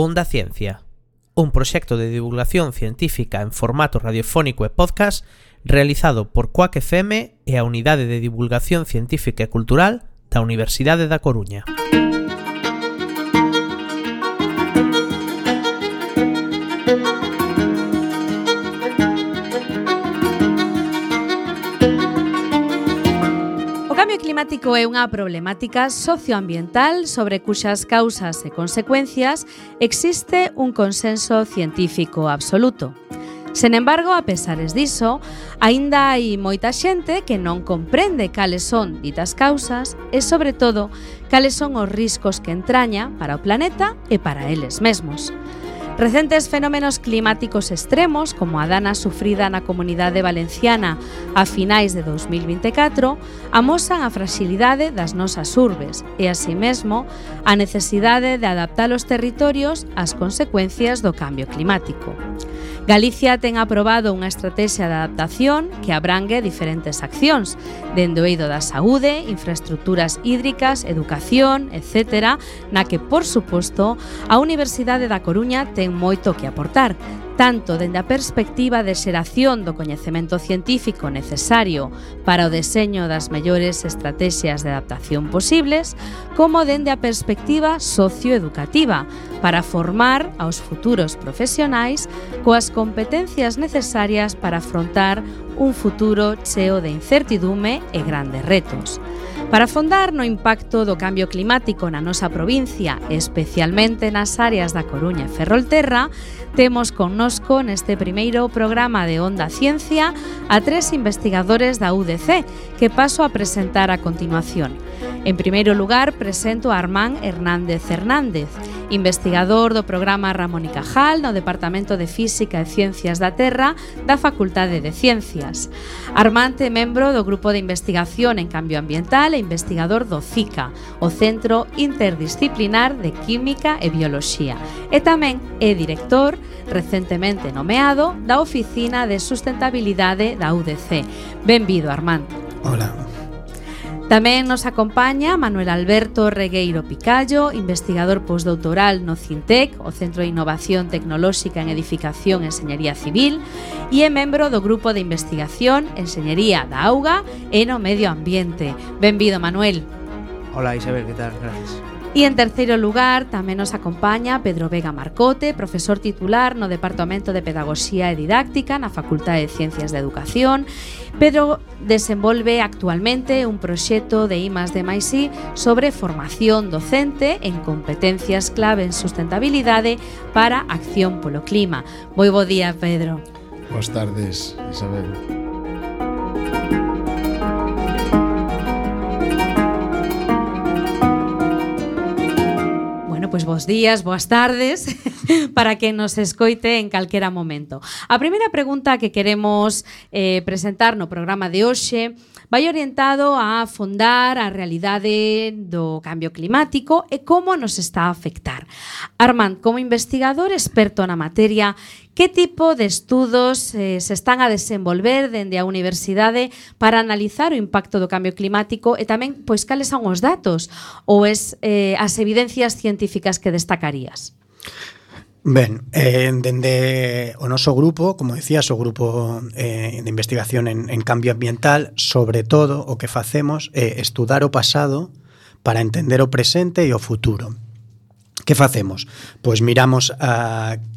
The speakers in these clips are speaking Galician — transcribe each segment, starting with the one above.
Onda Ciencia, un proxecto de divulgación científica en formato radiofónico e podcast realizado por Cuac FM e a Unidade de Divulgación Científica e Cultural da Universidade da Coruña. O cambio climático é unha problemática socioambiental sobre cuxas causas e consecuencias existe un consenso científico absoluto. Sen embargo, a pesares diso, aínda hai moita xente que non comprende cales son ditas causas e, sobre todo, cales son os riscos que entraña para o planeta e para eles mesmos. Recentes fenómenos climáticos extremos, como a dana sufrida na comunidade valenciana a finais de 2024, amosan a fragilidade das nosas urbes e, así mesmo, a necesidade de adaptar os territorios ás consecuencias do cambio climático. Galicia ten aprobado unha estratexia de adaptación que abrangue diferentes accións, dende o eido da saúde, infraestructuras hídricas, educación, etc., na que, por suposto, a Universidade da Coruña ten moito que aportar, tanto dende a perspectiva de xeración do coñecemento científico necesario para o deseño das mellores estratexias de adaptación posibles, como dende a perspectiva socioeducativa, para formar aos futuros profesionais coas competencias necesarias para afrontar un futuro cheo de incertidume e grandes retos. Para afondar no impacto do cambio climático na nosa provincia, especialmente nas áreas da Coruña e Ferrolterra, temos connosco neste primeiro programa de Onda Ciencia a tres investigadores da UDC, que paso a presentar a continuación. En primeiro lugar, presento a Armán Hernández Hernández, investigador do programa Ramón y Cajal no Departamento de Física e Ciencias da Terra da Facultade de Ciencias. Armán é membro do Grupo de Investigación en Cambio Ambiental e investigador do CICA, o Centro Interdisciplinar de Química e Bioloxía, e tamén é director, recentemente nomeado, da Oficina de Sustentabilidade da UDC. Benvido, Armán. Hola. Tamén nos acompaña Manuel Alberto Regueiro Picallo, investigador postdoutoral no CINTEC, o Centro de Innovación Tecnolóxica en Edificación e Enxeñería Civil, e é membro do Grupo de Investigación Enxeñería da Auga e no Medio Ambiente. Benvido, Manuel. Hola, Isabel, que tal? Gracias. E en terceiro lugar tamén nos acompaña Pedro Vega Marcote, profesor titular no Departamento de Pedagogía e Didáctica na Facultade de Ciencias de Educación. Pedro desenvolve actualmente un proxecto de I+D+I sobre formación docente en competencias clave en sustentabilidade para acción polo clima. Moi bo día, Pedro. Boas tardes, Isabel. Pois bos días, boas tardes para que nos escoite en calquera momento. A primeira pregunta que queremos presentar no programa de hoxe vai orientado a afondar a realidade do cambio climático e como nos está a afectar. Armand, como investigador experto na materia, que tipo de estudos se están a desenvolver dende a universidade para analizar o impacto do cambio climático e tamén pois cales son os datos ou as evidencias científicas que destacarías? Ben, dende o noso grupo, como decías, o grupo de investigación en cambio ambiental, sobre todo o que facemos é estudar o pasado para entender o presente e o futuro. Que facemos? Pois miramos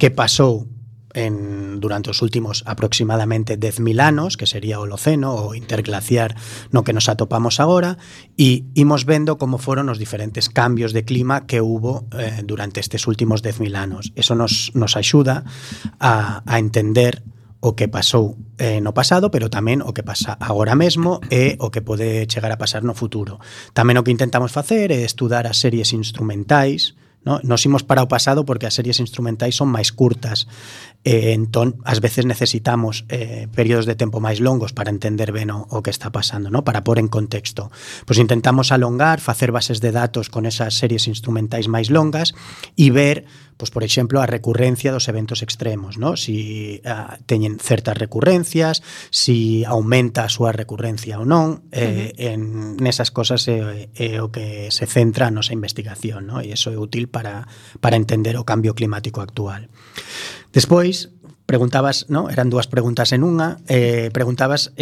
que pasou durante os últimos aproximadamente 10.000 anos, que sería o Holoceno, o interglaciar no que nos atopamos agora, e imos vendo como foron os diferentes cambios de clima que hubo durante estes últimos 10.000 anos. Eso nos axuda a entender o que pasou no pasado, pero tamén o que pasa agora mesmo e o que pode chegar a pasar no futuro. Tamén o que intentamos facer é estudar as series instrumentais, no? Nos imos para o pasado porque as series instrumentais son máis curtas, entón ás veces necesitamos períodos de tempo máis longos para entender ben o que está pasando, no? Para pôr en contexto. Pois intentamos alongar, facer bases de datos con esas series instrumentais máis longas e ver pois por exemplo, a recurrencia dos eventos extremos, ¿no? Si teñen certas recurrencias, si aumenta a súa recurrencia ou non, en nesas cosas é o que se centra a nosa investigación, ¿no? E iso é útil para entender o cambio climático actual. Despois, preguntabas, ¿no? Eran dúas preguntas en unha. Preguntabas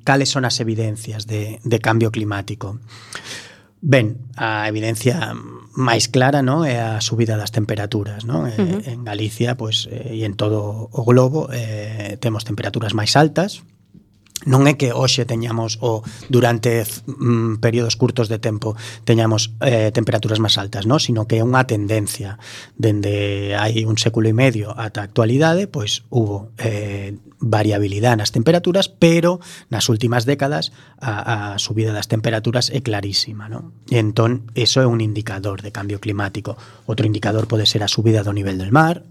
cales son as evidencias de cambio climático. Ben, a evidencia máis clara, ¿no? É a subida das temperaturas, ¿no? En Galicia, pois, e en todo o globo, temos temperaturas máis altas. Non é que hoxe teñamos durante períodos curtos de tempo teñamos temperaturas máis altas, ¿no? Sino que é unha tendencia. Dende hai un século e medio ata a actualidade, pois hubo variabilidade nas temperaturas, pero nas últimas décadas a subida das temperaturas é clarísima, ¿no? E entón, iso é un indicador de cambio climático. Outro indicador pode ser a subida do nivel del mar,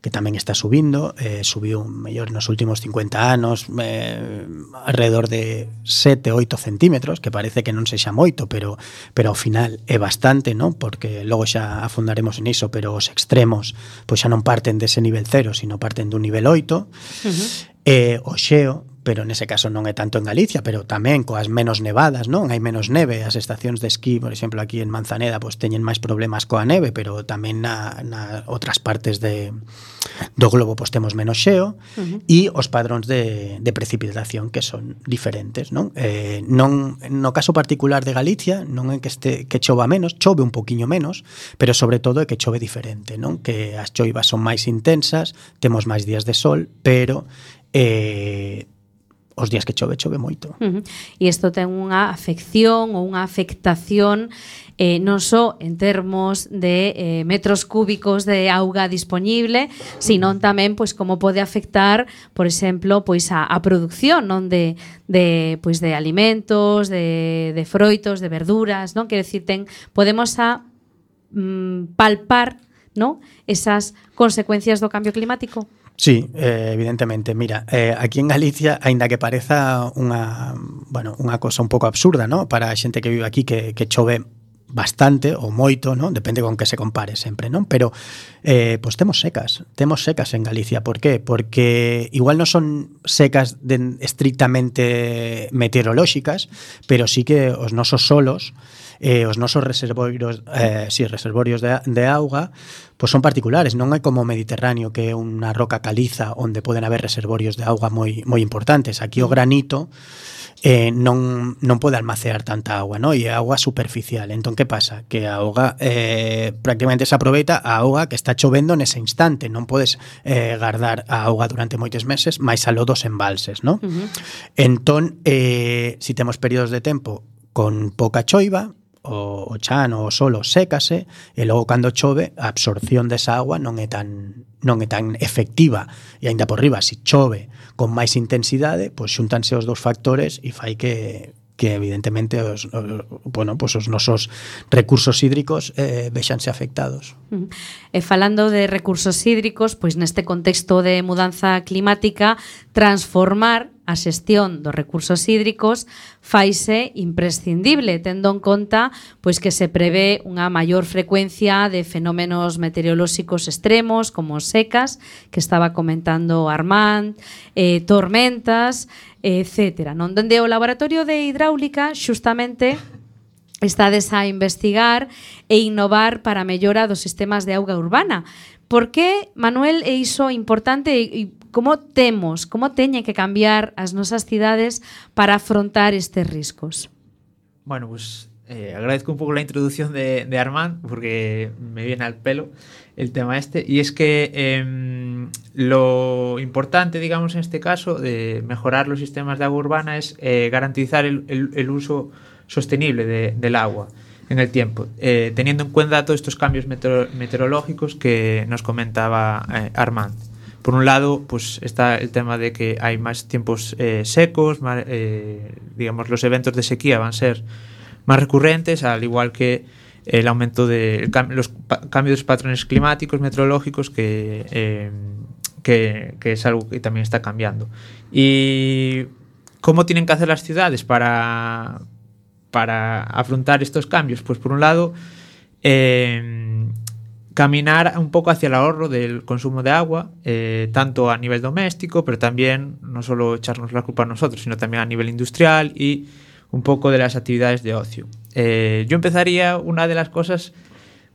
que tamén está subindo, subiu mellor nos últimos 50 anos alrededor de 7-8 centímetros, que parece que non sexa moito, pero ao final é bastante, ¿no? Porque logo xa afondaremos en iso, pero os extremos pois xa non parten dese nivel 0, sino parten dun nivel 8. O xeo, pero nese caso non é tanto en Galicia, pero tamén coas menos nevadas, non? Hai menos neve, as estacións de esquí, por exemplo, aquí en Manzaneda, pois teñen máis problemas coa neve, pero tamén na outras partes do globo pois temos menos xeo, e os padróns de precipitación que son diferentes, non? No caso particular de Galicia, non é que chova menos, chove un poquiño menos, pero sobre todo é que chove diferente, non? Que as choivas son máis intensas, temos máis días de sol, pero os días que chove moito. E isto ten unha afección ou unha afectación non só en termos de metros cúbicos de auga disponible, senón tamén pois como pode afectar, por exemplo, pois a produción, non de alimentos, de froitos, de verduras, non? Quero dicir, podemos palpar, non? Esas consecuencias do cambio climático. Sí, evidentemente. Mira, aquí en Galicia, aínda que pareza unha cosa un pouco absurda, ¿no? Para a xente que vive aquí que chove bastante ou moito, ¿no? Depende con que se compare sempre, ¿no? Pero pois temos secas en Galicia. Por qué? Porque igual non son secas estrictamente meteorolóxicas, pero sí que os nosos solos, os nosos reservorios de auga, pois son particulares. Non é como o Mediterráneo, que é unha roca caliza onde poden haber reservorios de auga moi importantes. Aquí o granito non pode almacear tanta agua, ¿no? E é agua superficial. Entón, que pasa? Que a auga prácticamente se aproveita a auga que está chovendo nese instante. Non podes guardar a auga durante moitos meses, máis aló dos embalses, ¿no? Entón, si temos períodos de tempo con pouca choiva, o chan ou o solo sécase, e logo cando chove a absorción desa agua non é tan efectiva, e aínda por riba, se chove con máis intensidade, pois xuntanse os dous factores e fai que evidentemente os nosos recursos hídricos vexanse afectados. E falando de recursos hídricos, pois neste contexto de mudanza climática, transformar a xestión dos recursos hídricos faise imprescindible, tendo en conta pois que se prevé unha maior frecuencia de fenómenos meteorolóxicos extremos, como secas, que estaba comentando Armand, tormentas, etcétera. Non, dende o Laboratorio de Hidráulica, xustamente, estades a investigar e innovar para a mellora dos sistemas de auga urbana. Por que, Manuel, é iso importante e como teñen que cambiar as nosas cidades para afrontar estes riscos? Bueno, pues agradezco un pouco la introducción de Armand, porque me viene al pelo el tema este, y es que lo importante, digamos, en este caso, de mejorar los sistemas de agua urbana es garantizar el uso sostenible del agua en el tiempo, teniendo en cuenta todos estos cambios meteorológicos que nos comentaba Armand. Por un lado, pues está el tema de que hay más tiempos secos, digamos, los eventos de sequía van a ser más recurrentes, al igual que el aumento de los cambios de patrones climáticos, meteorológicos, que es algo que también está cambiando. ¿Y cómo tienen que hacer las ciudades para afrontar estos cambios? Pues por un lado, caminar un poco hacia el ahorro del consumo de agua, tanto a nivel doméstico, pero también no solo echarnos la culpa a nosotros, sino también a nivel industrial y un poco de las actividades de ocio. Yo empezaría, una de las cosas,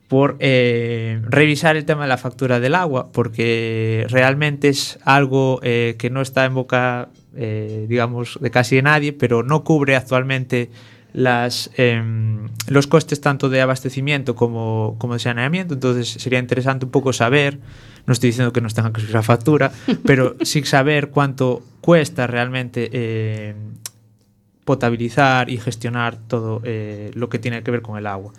por revisar el tema de la factura del agua, porque realmente es algo que no está en boca, digamos, de casi nadie, pero no cubre actualmente los costes tanto de abastecimiento como de saneamiento. Entonces sería interesante un poco saber, no estoy diciendo que nos tengan que subir la factura, pero sí saber cuánto cuesta realmente potabilizar y gestionar todo lo que tiene que ver con el agua.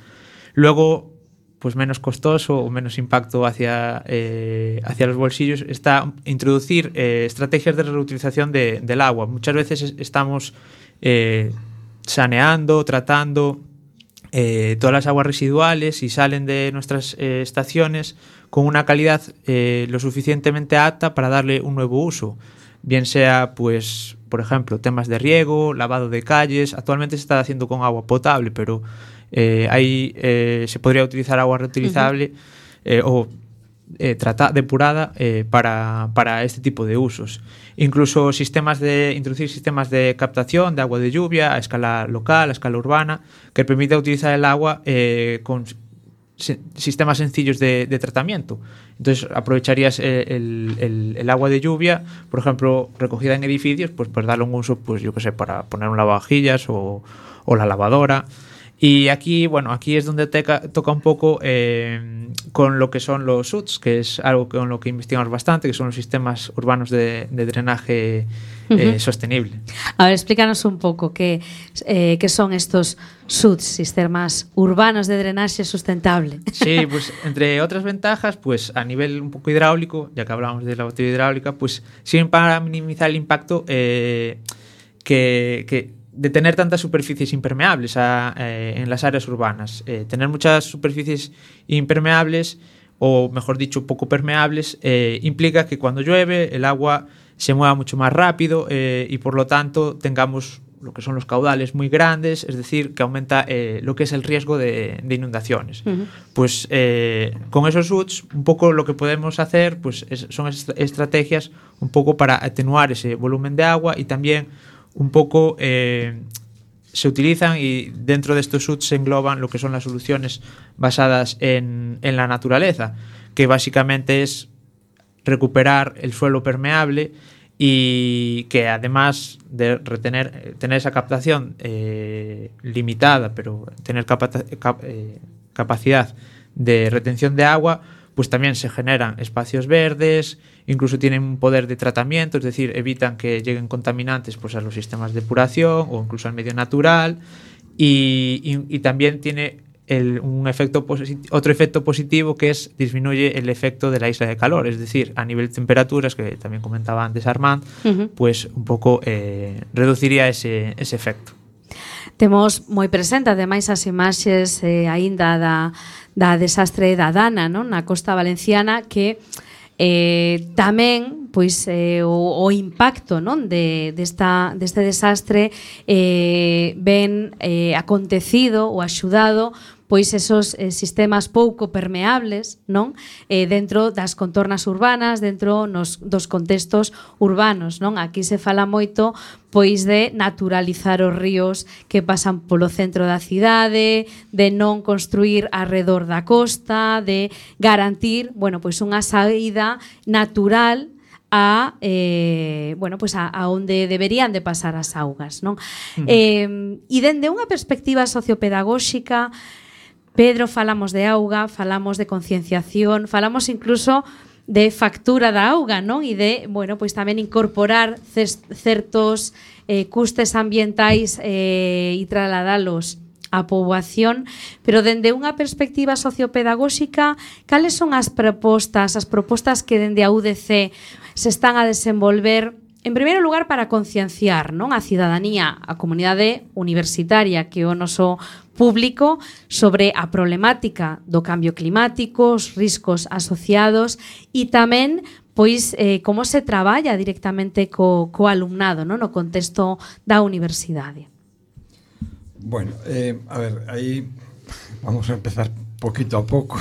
Luego, pues menos costoso o menos impacto hacia los bolsillos está introducir estrategias de reutilización del agua. Muchas veces estamos saneando, tratando todas las aguas residuales y salen de nuestras estaciones con una calidad lo suficientemente apta para darle un nuevo uso, bien sea, pues, por ejemplo, temas de riego, lavado de calles. Actualmente se está haciendo con agua potable, pero ahí se podría utilizar agua reutilizable o depurada para este tipo de usos. Incluso introducir sistemas de captación de agua de lluvia a escala local, a escala urbana, que permita utilizar el agua con sistemas sencillos de tratamiento. Entonces aprovecharías el agua de lluvia, por ejemplo, recogida en edificios, pues darle un uso, pues yo que sé, para poner un lavavajillas o la lavadora. Y aquí, bueno, aquí es donde toca un poco con lo que son los SUDs, que es algo con lo que investigamos bastante, que son los sistemas urbanos de drenaje sostenible. A ver, explícanos un poco qué son estos SUDs, sistemas urbanos de drenaje sustentable. Sí, pues entre otras ventajas, pues a nivel un poco hidráulico, ya que hablamos de la batería hidráulica, pues sirven para minimizar el impacto de tener tantas superficies impermeables en las áreas urbanas. Tener muchas superficies impermeables, o mejor dicho, poco permeables, implica que cuando llueve el agua se mueva mucho más rápido y por lo tanto tengamos lo que son los caudales muy grandes, es decir, que aumenta lo que es el riesgo de inundaciones. Pues con esos SUDs un poco lo que podemos hacer pues son estrategias un poco para atenuar ese volumen de agua, y también un poco se utilizan, y dentro de estos SUDs se engloban lo que son las soluciones basadas en la naturaleza, que básicamente es recuperar el suelo permeable, y que además de tener esa captación limitada, pero tener capacidad de retención de agua, pues también se generan espacios verdes, incluso tienen un poder de tratamiento, es decir, evitan que lleguen contaminantes pues a los sistemas de depuración o incluso al medio natural, y también tiene otro efecto positivo, que es disminuye el efecto de la isla de calor, es decir, a nivel de temperaturas, que también comentaba antes Armand, pues un pouco reduciría ese efecto. Temos moi presente ademais as imaxes aínda da desastre da Dana, non? Na costa valenciana, que tamén pois o impacto, non, deste desastre ben acontecido ou axudado pois esos sistemas pouco permeables, non, dentro das contornas urbanas, dentro dos contextos urbanos, non? Aquí se fala moito pois de naturalizar os ríos que pasan polo centro da cidade, de non construir arredor da costa, de garantir, bueno, pois unha saída natural a onde deberían de pasar as augas, non? E dende unha perspectiva sociopedagóxica, Pedro, falamos de auga, falamos de concienciación, falamos incluso de factura da auga, non? E de, bueno, pois tamén incorporar certos custes ambientais e trasladalos á poboación, pero dende unha perspectiva sociopedagóxica, cales son as propostas que dende a UDC se están a desenvolver, en primeiro lugar, para concienciar, non, a cidadanía, a comunidade universitaria, que é o noso público, sobre a problemática do cambio climático, os riscos asociados, e tamén pois como se traballa directamente co alumnado, non, no contexto da universidade. Bueno, a ver, aí vamos a empezar poquito a pouco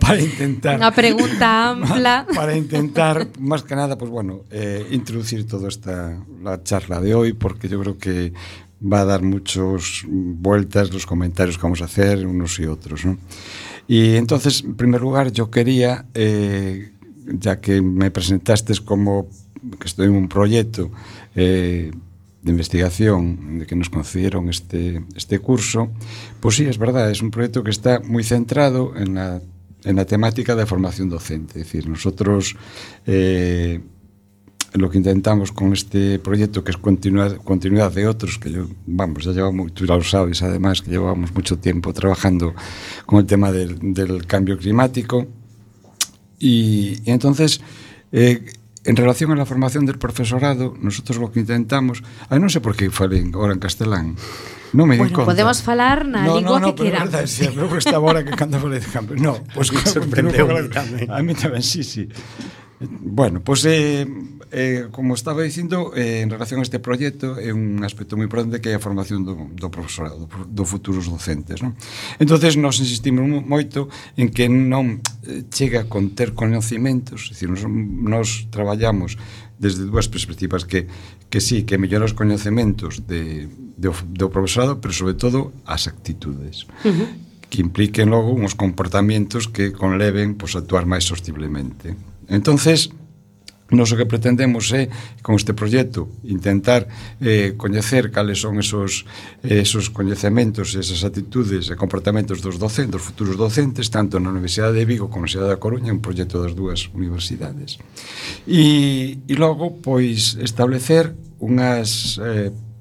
para intentar... Unha pregunta ampla. Para intentar, más que nada, pues bueno, introducir toda la charla de hoy, porque yo creo que va a dar muchas vueltas los comentarios que vamos a hacer unos y otros, ¿no? Y entonces, en primer lugar, yo quería, ya que me presentaste como que estoy en un proyecto de investigación de que nos concedieron este curso, pues sí, es verdad, es un proyecto que está muy centrado en la temática de formación docente. Es decir, nosotros lo que intentamos con este proyecto, que es continuidad de otros, que ya llevamos, tú ya lo sabes además, que llevamos mucho tiempo trabajando con el tema del cambio climático, y entonces en relación a la formación del profesorado, nosotros lo que intentamos, non sei por que falei ahora en castelán, non me di conta. Podemos falar na lingua que queramos. No, pero é verdade, eu estaba ahora que cando falei de cambio. No, pues me sorprendeu tamén. A mí tamén, sí. Bueno, pues como estaba dicindo, en relación a este proxecto, é un aspecto moi importante que é a formación do profesorado, do futuros docentes, non? Entonces, nos insistimos moito en que non chega con ter conhecimentos, é dicir, nos traballamos desde dúas perspectivas, que sí, que mellorar os coñecementos do profesorado, pero sobre todo as actitudes, que impliquen logo uns comportamientos que conleven a actuar máis sostiblemente. Entonces, nós o que pretendemos é, con este proxecto, intentar coñecer cales son esos coñecementos, esas actitudes e comportamentos dos docentes, dos futuros docentes, tanto na Universidade de Vigo como na Universidade da Coruña, un proxecto das dúas universidades. E logo, pois, establecer unhas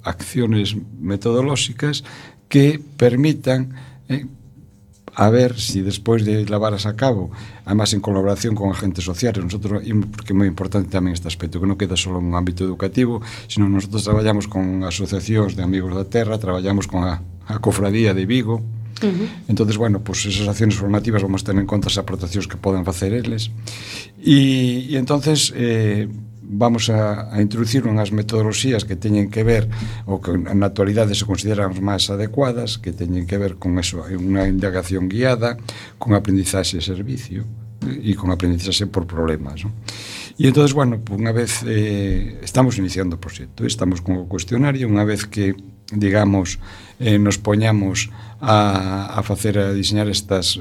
acciones metodolóxicas que permitan a ver si despois de levarlas a cabo, además en colaboración con agentes sociales, nosotros, porque é moi importante tamén este aspecto, que non queda só en un ámbito educativo, sino nosotros traballamos con asociacións de amigos da terra, traballamos con a cofradía de Vigo. Entonces, bueno, pues esas acciones formativas vamos a tener en conta as aportacións que poden facer eles, e entonces vamos a introducir unhas metodoloxías que teñen que ver, ou que na actualidade se consideran máis adecuadas, que teñen que ver con eso, unha indagación guiada, con aprendizaxe de servicio e con aprendizaxe por problemas, ¿no? E entonces, bueno, unha vez estamos iniciando o proxecto, estamos con o cuestionario, unha vez que, digamos, nos poñamos a diseñar estas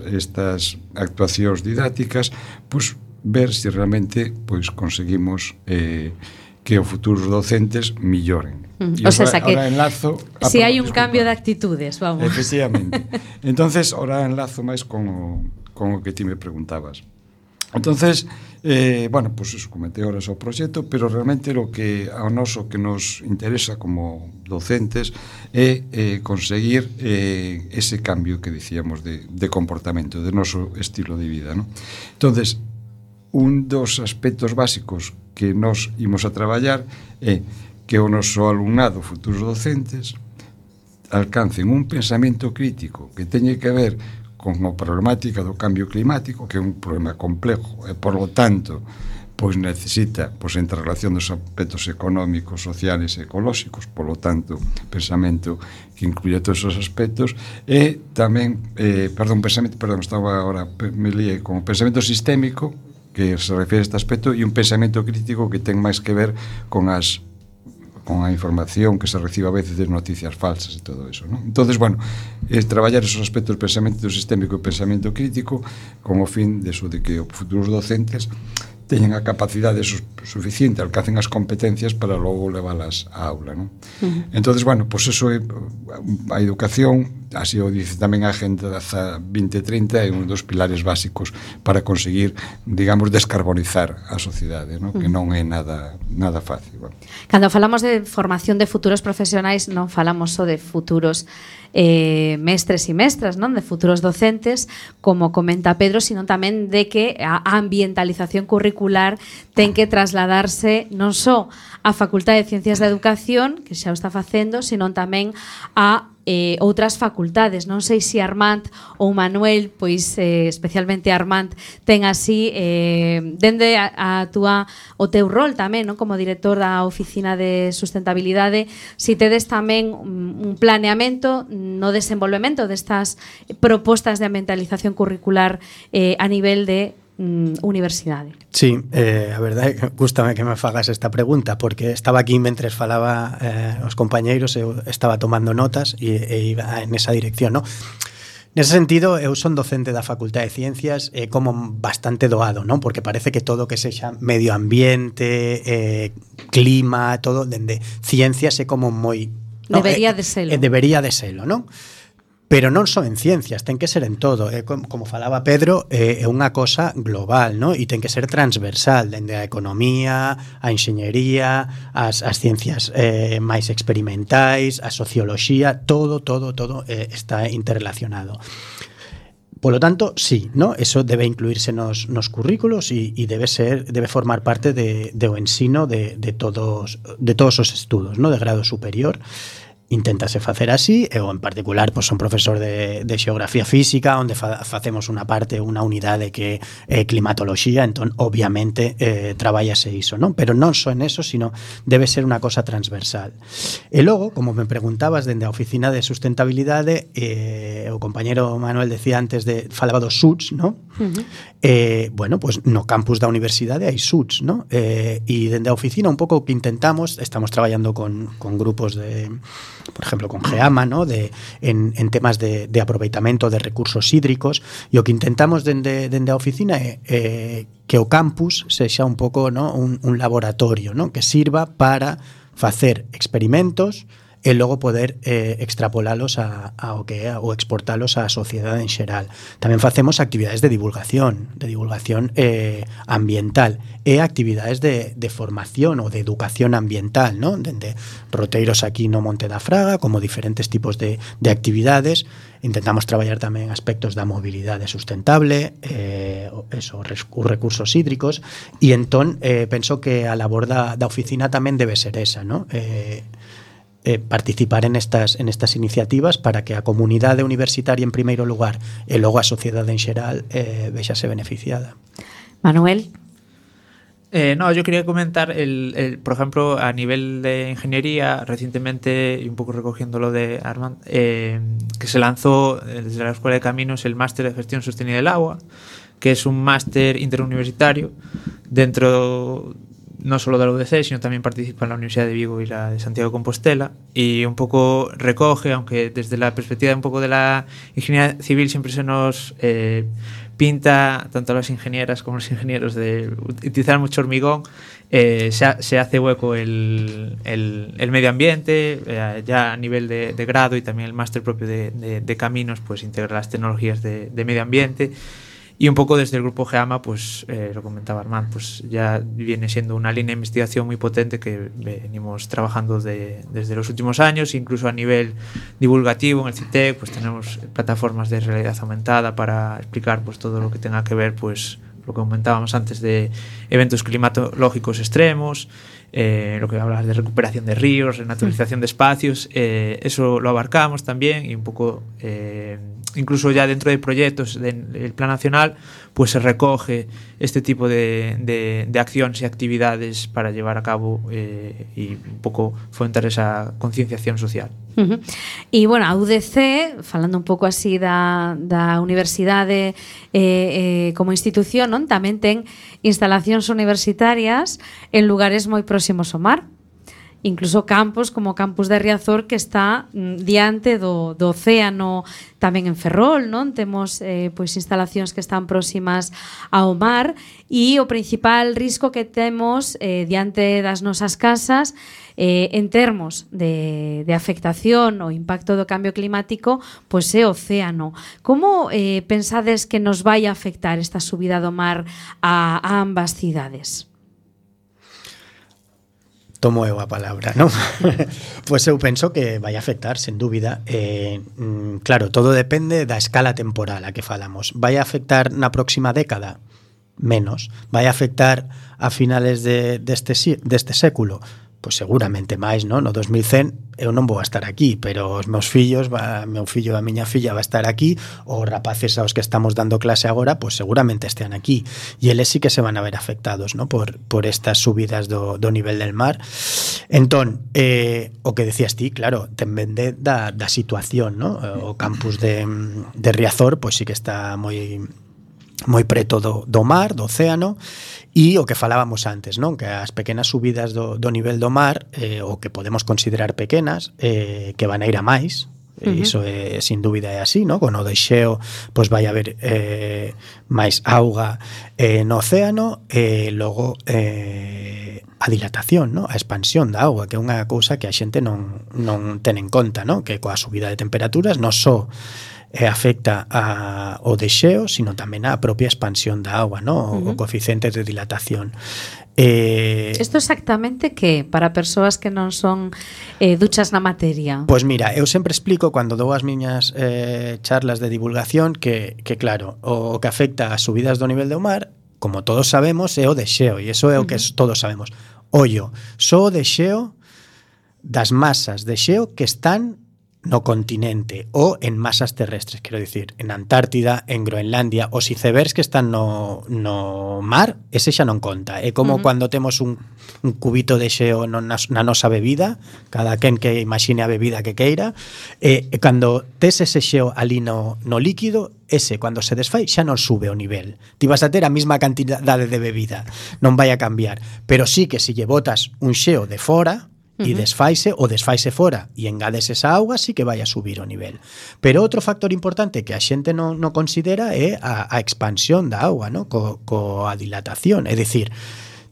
actuacións didácticas, pues ver se realmente conseguimos que os futuros docentes milloren. O sea, que si hai un cambio de actitudes, vamos. Efectivamente. Entonces, ahora enlazo máis con o que ti me preguntabas. Entonces, bueno, pues eso, comenté ahora o proxecto, pero realmente o que ao noso que nos interesa como docentes é conseguir ese cambio que dicíamos de comportamento, de noso estilo de vida, ¿no? Entonces, un dos aspectos básicos que nos imos a traballar é que o noso alumnado, futuros docentes, alcancen un pensamento crítico que teñe que ver con a problemática do cambio climático, que é un problema complejo e, por lo tanto, pois necesita entre relación dos aspectos económicos, sociales e ecolóxicos, por lo tanto, pensamento que incluye todos esos aspectos, e tamén, estaba agora, me lié con o pensamento sistémico, que se refire a este aspecto, e un pensamento crítico que ten máis que ver con a información que se recibe a veces de noticias falsas e todo eso, ¿no? Entonces, bueno, traballar esos aspectos, pensamento sistémico e pensamento crítico, con o fin de que os futuros docentes teñen a capacidade suficiente, alcancen as competencias para logo leválas á aula, ¿no? Entonces, bueno, pues eso é a educación, así o dice tamén a Agenda 2030, é un dos pilares básicos para conseguir, digamos, descarbonizar a sociedade, ¿no? Que non é nada fácil. Bueno. Cando falamos de formación de futuros profesionais, non falamos só de futuros mestres e mestras, non, de futuros docentes, como comenta Pedro, sino tamén de que a ambientalización curricular ten que trasladarse non só á Facultade de Ciencias da Educación, que xa o está facendo, sino tamén a outras facultades. Non sei se Armand ou Manuel, pois especialmente Armand, ten así dende o teu rol tamén, non, como director da Oficina de Sustentabilidade, si tedes tamén un planeamento no desenvolvemento destas propostas de ambientalización curricular a nivel de universidade. Sí, a verdade é que gústame que me fagas esta pregunta, porque estaba aquí mentres falaba os compañeiros, eu estaba tomando notas e iba en esa dirección, non? Nese sentido, eu son docente da Facultade de Ciencias como bastante doado, non? Porque parece que todo que sexa medio ambiente, clima, todo, dende ciencias é como moi... Debería de selo. Debería de selo, non? Pero non só en ciencias, ten que ser en todo. Como falaba Pedro, é unha cosa global, ¿no? E ten que ser transversal, dende a economía, a enxeñería, as ciencias máis experimentais, a socioloxía, todo está interrelacionado. Polo tanto, sí, ¿no? Eso debe incluirse nos currículos e debe formar parte do ensino de todos os estudos, ¿no? De grado superior. Inténtase facer así, eu en particular son profesor de xeografía física, onde facemos unha unidade que é climatoloxía, entón obviamente traballase iso, non? Pero non só en eso, sino debe ser unha cosa transversal. E logo, como me preguntabas dende a Oficina de Sustentabilidade, o compañero Manuel decía antes falaba dos SUTs, non? Bueno, pues no campus da universidade hai SUTs, non? E dende a oficina un pouco que intentamos, estamos traballando con grupos por ejemplo, con GEAMA, ¿no? En temas de aproveitamento de recursos hídricos, e o que intentamos dende a oficina é que o campus sexa un pouco, ¿no? un laboratorio, ¿no? Que sirva para facer experimentos e logo poder extrapolalos ao que é ou exportalos á sociedade en xeral. Tamén facemos actividades de divulgación ambiental e actividades de formación ou de educación ambiental, ¿no? Dende roteiros aquí no Monte da Fraga, como diferentes tipos de actividades. Intentamos traballar tamén aspectos da mobilidade sustentable, os recursos hídricos, e entón penso que a labor da oficina tamén debe ser esa, ¿no? Participar en estas iniciativas para que a comunidade universitaria en primeiro lugar e logo a sociedade en xeral vexase beneficiada. Manuel? No, yo quería comentar, por ejemplo, a nivel de ingeniería, recientemente, y un poco recogiendo lo de Armand, que se lanzó desde la Escuela de Caminos el Máster de Gestión Sostenible del Agua, que es un máster interuniversitario dentro no solo de la UDC, sino también participa en la Universidad de Vigo y la de Santiago de Compostela, y un poco recoge, aunque desde la perspectiva un poco de la ingeniería civil siempre se nos pinta, tanto a las ingenieras como a los ingenieros, de utilizar mucho hormigón, se hace hueco el medio ambiente, ya a nivel de grado, y también el máster propio de caminos, pues integra las tecnologías de medio ambiente. Y un poco desde el grupo GEAMA, pues lo comentaba Armand, pues ya viene siendo una línea de investigación muy potente que venimos trabajando desde los últimos años, incluso a nivel divulgativo en el CITEC, pues tenemos plataformas de realidad aumentada para explicar pues todo lo que tenga que ver, pues lo que comentábamos antes de eventos climatológicos extremos, lo que hablabas de recuperación de ríos, renaturalización de espacios, eso lo abarcamos también, y un poco incluso ya dentro de proyectos del Plan Nacional, pues se recoge este tipo de acciones y actividades para llevar a cabo y un pouco fomentar esa concienciación social. E, bueno, a UDC, falando un pouco así da universidade como institución, non? Tamén ten instalacións universitarias en lugares moi próximos ao mar. Incluso campus como o campus de Riazor, que está diante do océano, tamén en Ferrol, non? Temos pois instalacións que están próximas ao mar, e o principal risco que temos diante das nosas casas en termos de afectación ou impacto do cambio climático, pois é o océano. Como pensades que nos vai a afectar esta subida do mar a ambas cidades? Tomo eu a palabra, non? Pois eu penso que vai afectar, sen dúbida. Claro, todo depende da escala temporal a que falamos. Vai afectar na próxima década? Menos. Vai afectar a finales deste século? pois seguramente máis, non? No 2100 eu non vou a estar aquí, pero os meus fillos, meu fillo e a miña filla va a estar aquí, os rapaces aos que estamos dando clase agora, pois seguramente estean aquí, e eles sí que se van a ver afectados, non? Por estas subidas do nivel del mar. Entón, o que decías ti, claro, tamén da situación, non? O campus de Riazor, pois sí que está moi preto do mar, do océano, e o que falábamos antes, non? Que as pequenas subidas do nivel do mar, o que podemos considerar pequenas, que van a ir a máis, iso é, sin dúbida é así, non? Con o deixeo, pois vai haber máis auga no océano, e logo a dilatación, non? A expansión da auga, que é unha cousa que a xente non ten en conta, non? Que coa subida de temperaturas non só afecta ao deixeo, sino tamén á propia expansión da auga, ¿no? O coeficiente de dilatación. Isto exactamente que para persoas que non son duchas na materia? Pois mira, eu sempre explico cando dou as miñas charlas de divulgación que claro, o que afecta ás subidas do nivel do mar, como todos sabemos, é o deixeo, e iso é o que todos sabemos. Ollo, só o deixeo das masas de xeo que están no continente ou en masas terrestres, quero dicir, en Antártida, en Groenlandia, os icebergs que están no mar, ese xa non conta. É como cando temos un cubito de xeo na nosa bebida, cada quen que imagine a bebida que queira, e cando tes ese xeo ali no líquido, ese, cando se desfai, xa non sube o nivel. Ti vas a ter a mesma cantidade de bebida, non vai a cambiar. Pero sí que se lle botas un xeo de fora, e desfaise fora e engades esa auga, sí que vai a subir o nivel. Pero outro factor importante que a xente non considera é a expansión da auga, ¿no? Coa dilatación, é dicir,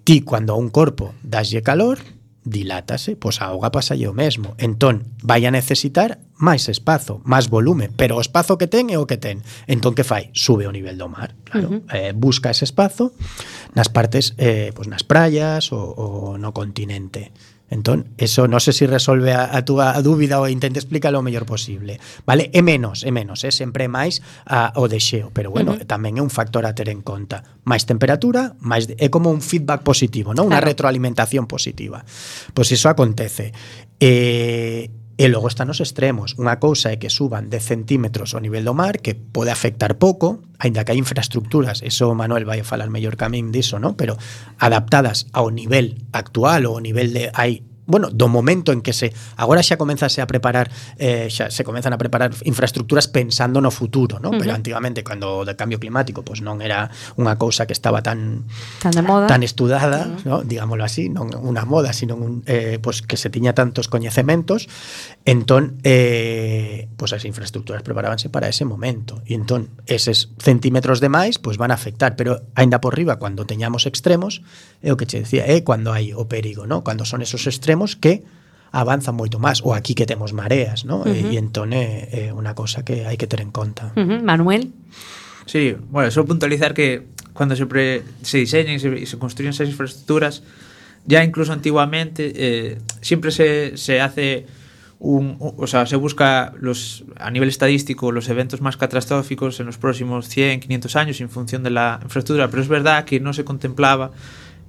ti cando a un corpo daslle calor, dilátase, pois a auga pasalle o mesmo. Entón, vai a necesitar máis espazo, máis volume, pero o espazo que ten é o que ten. Entón, que fai? Sube o nivel do mar, claro. Busca ese espazo nas partes, pois nas praias ou no continente. Entón, eso non sei se resolve a túa dúbida ou intente explícalo o mellor posible. Vale? É menos, sempre máis o deixeo, pero bueno, tamén é un factor a ter en conta. Máis temperatura, é como un feedback positivo, non? Unha retroalimentación positiva. Pois iso acontece. E logo están os extremos. Unha cousa é que suban 10 centímetros o nivel do mar, que pode afectar pouco, aínda que hai infraestructuras, eso Manuel vai a falar mellor que a min diso, ¿no? Pero adaptadas ao nivel actual ou ao nivel de do momento en que agora xa comenzan a preparar infraestructuras pensando no futuro, ¿no? Pero antigamente, cando o de cambio climático, pois non era unha cousa que estaba tan de moda, tan estudada, ¿no? Digámoslo así, non unha moda, sino pois que se tiña tantos coñecementos. Entón, pois as infraestructuras preparábanse para ese momento, e entón eses centímetros de máis pois van a afectar, pero aínda por riba, cando teñamos extremos, é o que che decía, é cando hai o perigo, ¿no? Cando son esos extremos que avanzan moito máis, ou aquí que temos mareas, ¿no? E entón é unha cosa que hai que ter en conta. Manuel? Sí, bueno, só puntualizar que cando se diseñan e se construyen esas infraestructuras, ya incluso antiguamente siempre se hace o sea, se busca a nivel estadístico los eventos más catastróficos en los próximos 100, 500 años en función de la infraestructura, pero es verdad que no se contemplaba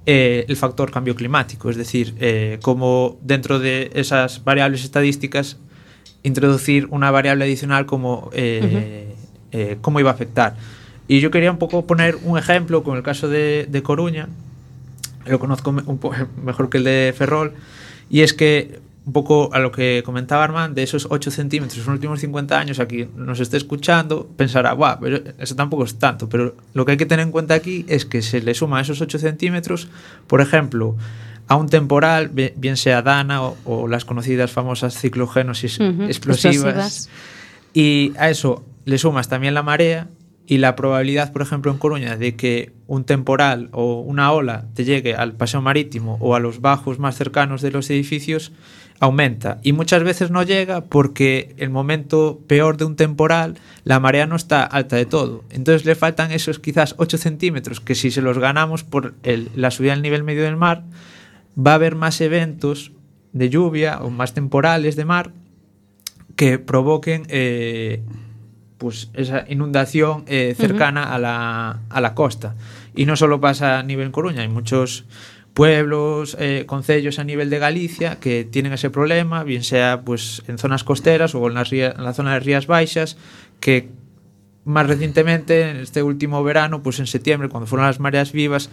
el factor cambio climático, es decir, como dentro de esas variables estadísticas introducir una variable adicional como cómo iba a afectar. Y yo quería un poco poner un ejemplo con el caso de Coruña, lo conozco un poco mejor que el de Ferrol, y es que un poco a lo que comentaba Armand, de esos 8 centímetros en los últimos 50 años, aquí nos esté escuchando, pensará, guau, pero eso tampoco es tanto. Pero lo que hay que tener en cuenta aquí es que se le suma a esos 8 centímetros, por ejemplo, a un temporal, bien sea Dana o las conocidas famosas ciclogénesis explosivas, y a eso le sumas también la marea, y la probabilidad, por ejemplo, en Coruña, de que un temporal o una ola te llegue al paseo marítimo o a los bajos más cercanos de los edificios aumenta, y muchas veces no llega porque el momento peor de un temporal la marea no está alta de todo, entonces le faltan esos quizás 8 centímetros que si se los ganamos por la subida del nivel medio del mar, va a haber más eventos de lluvia o más temporales de mar que provoquen pues esa inundación cercana a la costa. Y no solo pasa a nivel Coruña, hay muchos pueblos, concellos a nivel de Galicia que tienen ese problema, bien sea pues en zonas costeras o en la zona de Rías Baixas, que más recientemente, en este último verano, pues en septiembre, cuando fueron las mareas vivas,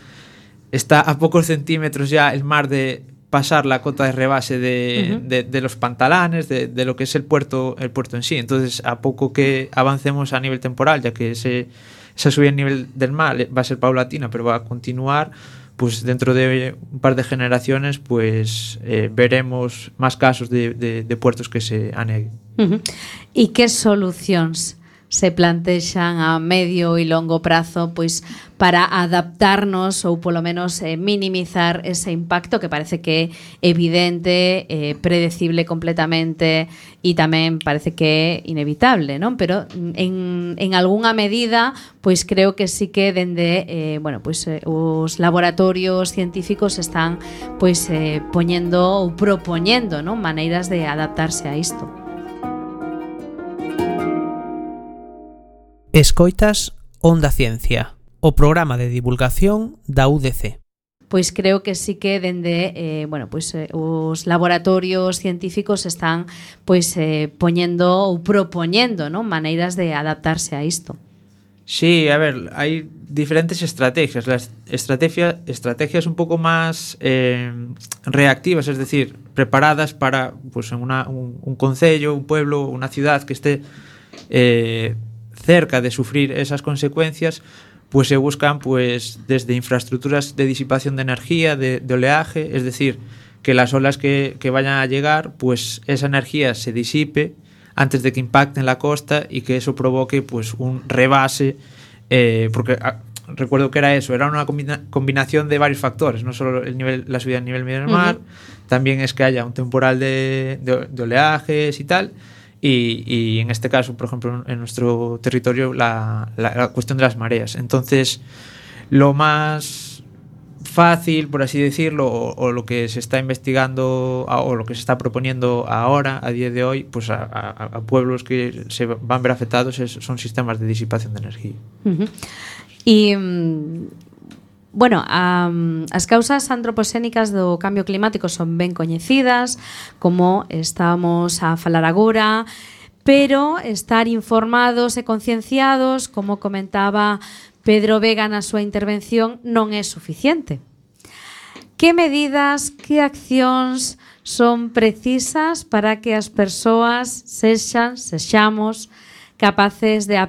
está a pocos centímetros ya el mar de pasar la cota de rebase de los pantalanes, de lo que es el puerto en sí. Entonces, a poco que avancemos a nivel temporal, ya que esa subida en nivel del mar va a ser paulatina, pero va a continuar, pues dentro de un par de generaciones pues veremos más casos de puertos que se aneguen. E que solucións se plantexan a medio e longo prazo pois para adaptarnos ou polo menos minimizar ese impacto que parece que é evidente, predecible completamente e tamén parece que é inevitable, non? Pero en algunha medida pois creo que sí que dende os laboratorios científicos están pois poñendo ou propoñendo, non, maneiras de adaptarse a isto. Escoitas Onda Ciencia, o programa de divulgación da UDC. Pois creo que sí que dende os laboratorios científicos están pois poñendo ou propoñendo, non, maneiras de adaptarse a isto. Sí, a ver, hay diferentes estrategias. Las estrategias un poco más reactivas, es decir, preparadas para pues, en un concello, un pueblo, una ciudad que esté cerca de sufrir esas consecuencias, pues se buscan pues desde infraestructuras de disipación de energía, de oleaje, es decir, que las olas que vayan a llegar, pues esa energía se disipe antes de que impacte en la costa y que eso provoque pues un rebase, porque recuerdo que era una combinación de varios factores, no solo la subida del nivel medio del mar, también es que haya un temporal de oleajes y tal. Y en este caso, por ejemplo, en nuestro territorio, la cuestión de las mareas. Entonces, lo más fácil, por así decirlo, o lo que se está investigando o lo que se está proponiendo ahora, a día de hoy, pues a pueblos que se van a ver afectados son sistemas de disipación de energía. Y bueno, as causas antropoxénicas do cambio climático son ben coñecidas, como estábamos a falar agora, pero estar informados e concienciados, como comentaba Pedro Vega na súa intervención, non é suficiente. Que medidas, que accións son precisas para que as persoas sexamos capaces de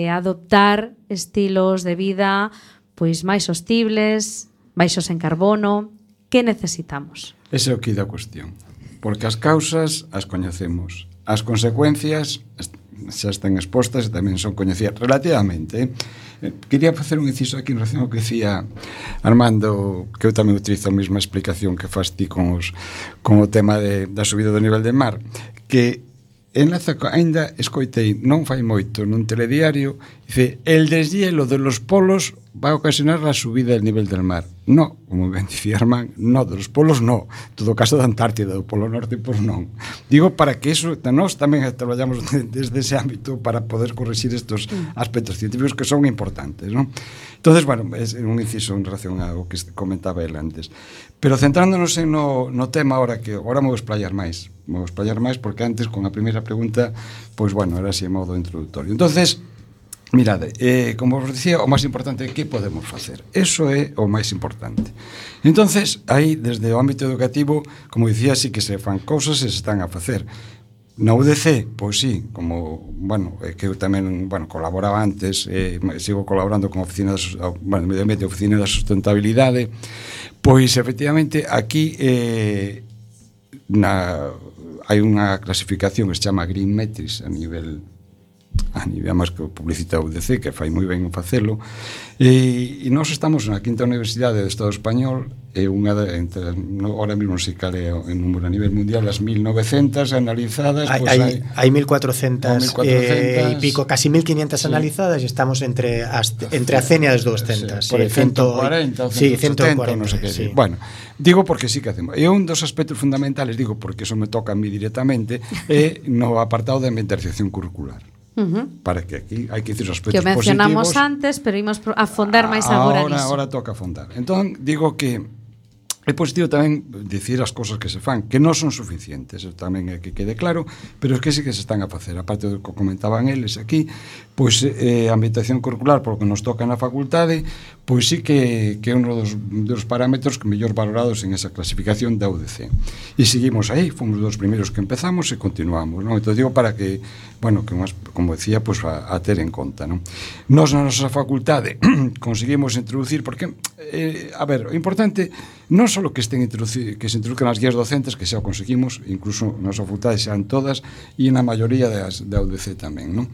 adoptar estilos de vida pois máis sostibles, baixos en carbono? Que necesitamos? Ese é o que da cuestión. Porque as causas as coñecemos. As consecuencias xa están expostas e tamén son coñecidas relativamente. Quería facer un inciso aquí en relación ao que decía Armando, que eu tamén utilizo a mesma explicación que fas ti con o tema da subida do nivel del mar, que enlaza, ainda escoitei non fai moito nun telediario, dice, el deshielo de los polos va a ocasionar la subida del nivel del mar. No, como ben dicía Armán, no, de los polos no. Todo o caso da Antártida, do Polo Norte, pois non. Digo para que eso, nós tamén traballamos desde ese ámbito para poder corrixir estos aspectos científicos que son importantes, non? Entonces, bueno, é un inciso en relación ao que comentaba el antes. Pero centrándonos no tema ahora, que agora me vou explayar máis. Me vou explayar máis porque antes, con a primeira pregunta, pois, bueno, era así a modo introductorio. Entonces, mirade, como vos dicía, o máis importante é que podemos facer. Eso é o máis importante. Entonces, aí, desde o ámbito educativo, como dicía, sí que se fan cousas e se están a facer. Na UDC, pois sí, como, bueno, que eu tamén, bueno, colaboraba antes, sigo colaborando con a Oficina Medio Ambiente, a Oficina da Sustentabilidade, pois, efectivamente, aquí hai unha clasificación que se chama Green Metrics a nivel máis que publicita a UDC, que fai moi ben en facelo, e nós estamos na quinta universidade do Estado español, e unha ahora mesmo non sei cal é o número a nivel mundial, as 1900 analizadas, hai 1400 e pico, casi 1500 analizadas, e estamos entre a cenia das 200, por 140 ou 170, non sei que. Sí. Bueno, digo porque sí que hacemos. E un dos aspectos fundamentales, digo porque eso me toca a mí directamente, é no apartado de ambientalización curricular. Para que aquí hai que dicir os aspectos positivos. Que o mencionamos positivos. Antes, pero imos a fondar máis agora niso. Agora toca afondar. Entón, digo que é positivo tamén dicir as cousas que se fan, que non son suficientes, tamén é que quede claro, pero é que sí que se están a facer. Aparte do que comentaban eles aquí, pois a ambientación curricular, polo que nos toca na facultade, pois sí que é un dos parámetros que mellor valorados en esa clasificación da UDC. E seguimos aí, fomos dos primeiros que empezamos e continuamos, non? Entón digo para que, bueno, que como decía, pois a ter en conta, non? Nos na nosa facultade conseguimos introducir, porque a ver, o importante non só que se introduzcan as guías docentes, que xa o conseguimos, incluso na nosa facultade xan todas e na maioría da UDC tamén, non?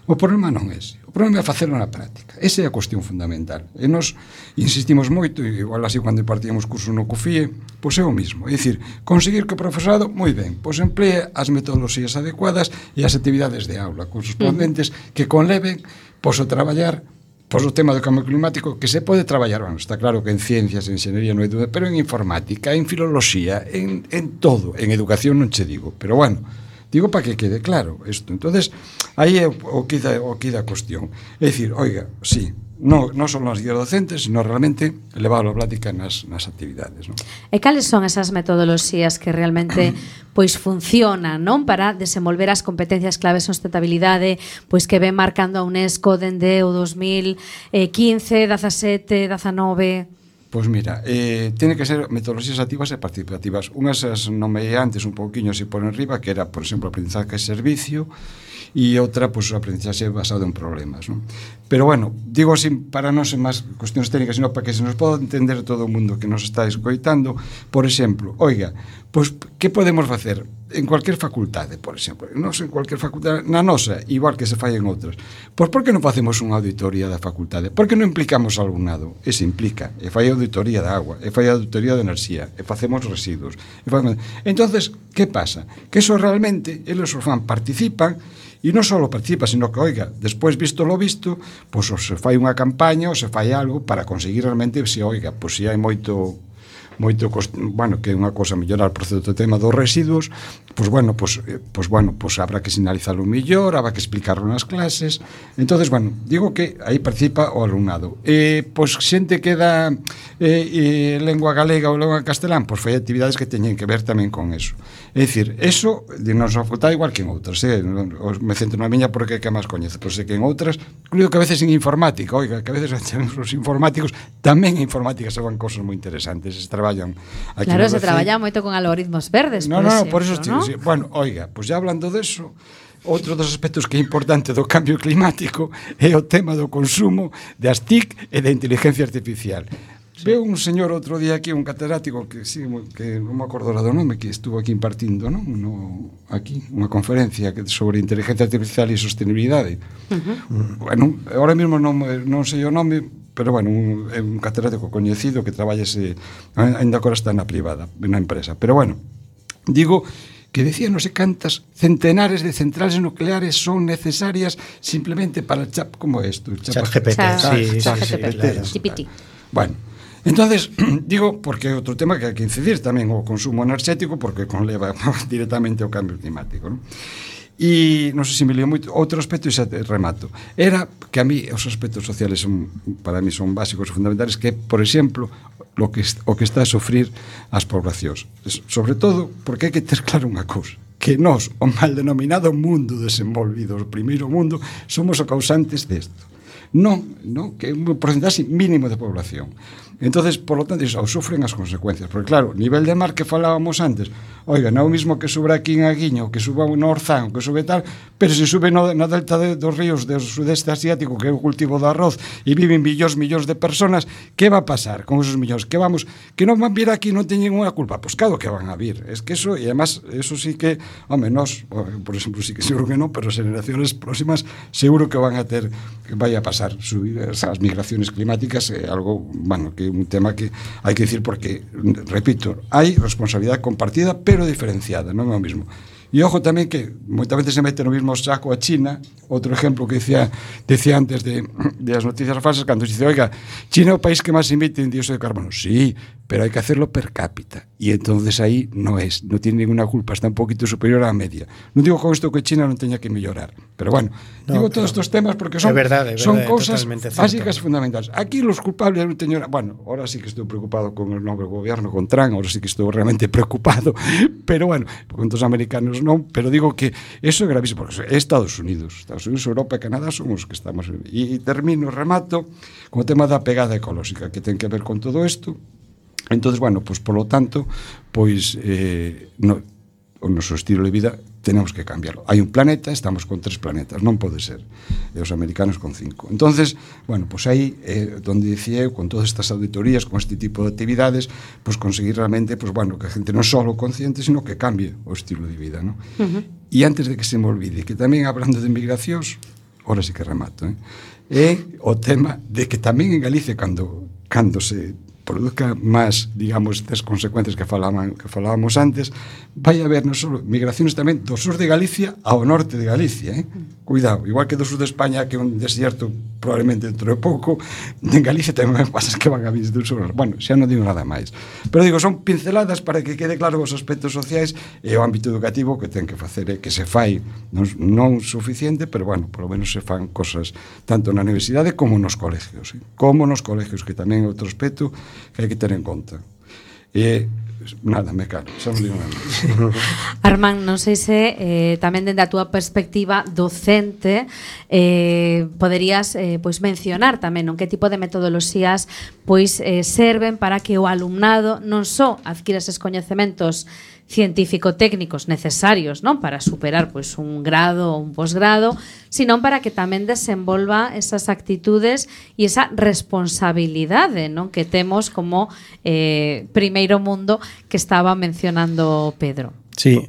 O problema non é ese. O problema é facerlo na práctica. Esa é a cuestión fundamental. E nos insistimos moito, e igual así cando impartíamos cursos no CUFIE, pois é o mismo. É dicir, conseguir que o profesorado, moi ben, pois emplee as metodoloxías adecuadas e as actividades de aula correspondentes que conleven pois o traballar pois o tema do cambio climático, que se pode traballar, bueno, está claro que en ciencias, en enxeñería non hai dúda, pero en informática, en filoloxía, en todo, en educación non che digo, pero bueno, digo para que quede claro isto. Entonces, aí é o que dá a cuestión. É dicir, oiga, sí, non son as guías docentes, sino realmente leválo a práctica nas actividades, non? E cales son esas metodoloxías que realmente pois funcionan, non, para desenvolver as competencias claves en sustentabilidade, pois que ven marcando a UNESCO dende o 2015, 17, 19? Pois mira, tiene que ser metodoloxías activas e participativas. Unhas as nomeei antes un pouquiño así por enriba, que era, por exemplo, aprendizaje e servicio, e outra, pois, o aprendizaxe basado en problemas, non? Pero, bueno, digo así para non ser máis cuestións técnicas, sino para que se nos poda entender todo o mundo que nos está escoitando. Por exemplo, oiga, pois, que podemos facer en cualquier facultade, por exemplo? Non en cualquier facultade, na nosa, igual que se fai en outras. Pois, por que non facemos unha auditoría da facultade? Por que non implicamos ao alumnado? E se implica, e fai auditoría da agua, e fai auditoría da enerxía, e facemos residuos. Entonces, que pasa? Que eso realmente, eles os fan, participan, e non só participa, sino que, oiga, despois visto lo visto, pois ou se fai unha campaña ou se fai algo para conseguir realmente, se oiga, pois se hai moito, bueno, que é unha cosa mellorar por certo tema dos residuos, pois bueno, pois habrá que sinalizarlo mellor, habrá que explicarlo nas clases. Entonces, bueno, digo que aí participa o alumnado. Pois xente que dá lengua galega ou lengua castelán, pois fai actividades que teñen que ver tamén con eso. É dicir, eso de nosa facultade igual que en outras, me centro na miña porque é que máis coñece, pois é que en outras, incluído que a veces en informática, oiga, que a veces os informáticos tamén en informática se van cosas moi interesantes, se traballan aquí. Claro, se traballa moito con algoritmos verdes, por eso, ¿no? Sí, bueno, oiga, pois ya hablando de eso, outro dos aspectos que é importante do cambio climático é o tema do consumo das TIC e da inteligencia artificial. Sí. Veo un señor outro día aquí, un catedrático que non me acordo do nome, que estuvo aquí impartindo, non? Aquí, unha conferencia sobre inteligencia artificial e sostenibilidade. Bueno, ahora mesmo non sei o nome, pero bueno, é un catedrático coñecido que traballa ainda agora está na privada, na empresa. Pero bueno, digo que decía non sei cantas centenares de centrales nucleares son necesarias simplemente para el chat como esto. ChatGPT. ChatGPT. Bueno, entonces, digo, porque é outro tema que hai que incidir tamén o consumo enerxético, porque conleva directamente ao cambio climático, non? E non sei se me lío moito. Outro aspecto, e xa remato, era que a mí os aspectos sociales para mí son básicos e fundamentales, que, por exemplo, o que está a sufrir as poblacións, sobre todo porque hai que ter claro unha cousa, que nós, o mal denominado mundo desenvolvido, o primeiro mundo, somos os causantes desto. Non, que é un porcentaxe mínimo de población. Entonces, por lo tanto, ou sufren as consecuencias, porque claro, nivel de mar que falábamos antes, oiga, non é o mismo que sube aquí en Aguiño, que sube no Orzán, que sube tal, pero se sube na delta dos ríos do sudeste asiático, que é o cultivo do arroz, e viven millóns de personas, que va a pasar con esos millóns? Que non van vir aquí, non teñen unha culpa? Pois claro que van a vir, es que eso, e además, eso sí que, home, nós, por exemplo, sí que seguro que non, pero as generaciones próximas seguro que van a ter, que vai a pasar, subir as migraciones climáticas, é algo, bueno, que un tema que hai que decir porque, repito, hai responsabilidade compartida pero diferenciada, non é o mesmo. E ojo tamén que moitas veces se mete no mesmo saco a China, outro exemplo que decía antes de as noticias falsas, cando se dice, oiga, China é o país que máis emite en dióxido de carbono. Sí, pero hay que hacerlo per cápita. Y entonces ahí no tiene ninguna culpa, está un poquito superior a la media. No digo con esto que China no tenga que mejorar, pero bueno, digo todos estos temas porque son cosas básicas, fundamentales. Aquí los culpables, bueno, ahora sí que estoy preocupado con el nuevo gobierno, con Trump, ahora sí que estoy realmente preocupado, pero bueno, con los americanos no, pero digo que eso es gravísimo, porque Estados Unidos, Europa e Canadá son os que estamos. E remato, con o tema da pegada ecolóxica, que ten que ver con todo isto. Entonces, bueno, pues por lo tanto, pues o noso estilo de vida tenemos que cambiarlo. Hai un planeta, estamos con 3 planetas, non pode ser. E os americanos con 5. Entonces, bueno, pues aí donde decía eu, con todas estas auditorías, con este tipo de actividades, pues conseguir realmente, pues bueno, que a gente non solo consciente, sino que cambie o estilo de vida, ¿no? E antes de que se me olvide, que tamén hablando de migracións, ahora sí que remato, é o tema de que tamén en Galicia cando se produzca máis, digamos, estas consecuencias que falábamos antes, vai haber non só migracións tamén do sur de Galicia ao norte de Galicia, Cuidado, igual que do sur de España, que é un desierto probablemente dentro de pouco, en Galicia tamén pasas que van a vir do sur. Bueno, xa non digo nada máis. Pero digo, son pinceladas para que quede claro os aspectos sociais e o ámbito educativo que ten que facer, que se fai non suficiente, pero bueno, por lo menos se fan cosas tanto na universidade como nos colegios, que tamén é outro aspecto que hai que ter en conta. Nada, me calo, xa non digo nada. Armand, non sei se tamén dende a túa perspectiva docente poderías pois mencionar tamén non que tipo de metodoloxías pois serven para que o alumnado non só adquira eses coñecementos científico-técnicos necesarios, non, para superar pois un grado ou un posgrado, sino para que tamén desenvolva esas actitudes e esa responsabilidade, non, que temos como primeiro mundo que estaba mencionando Pedro. Sí,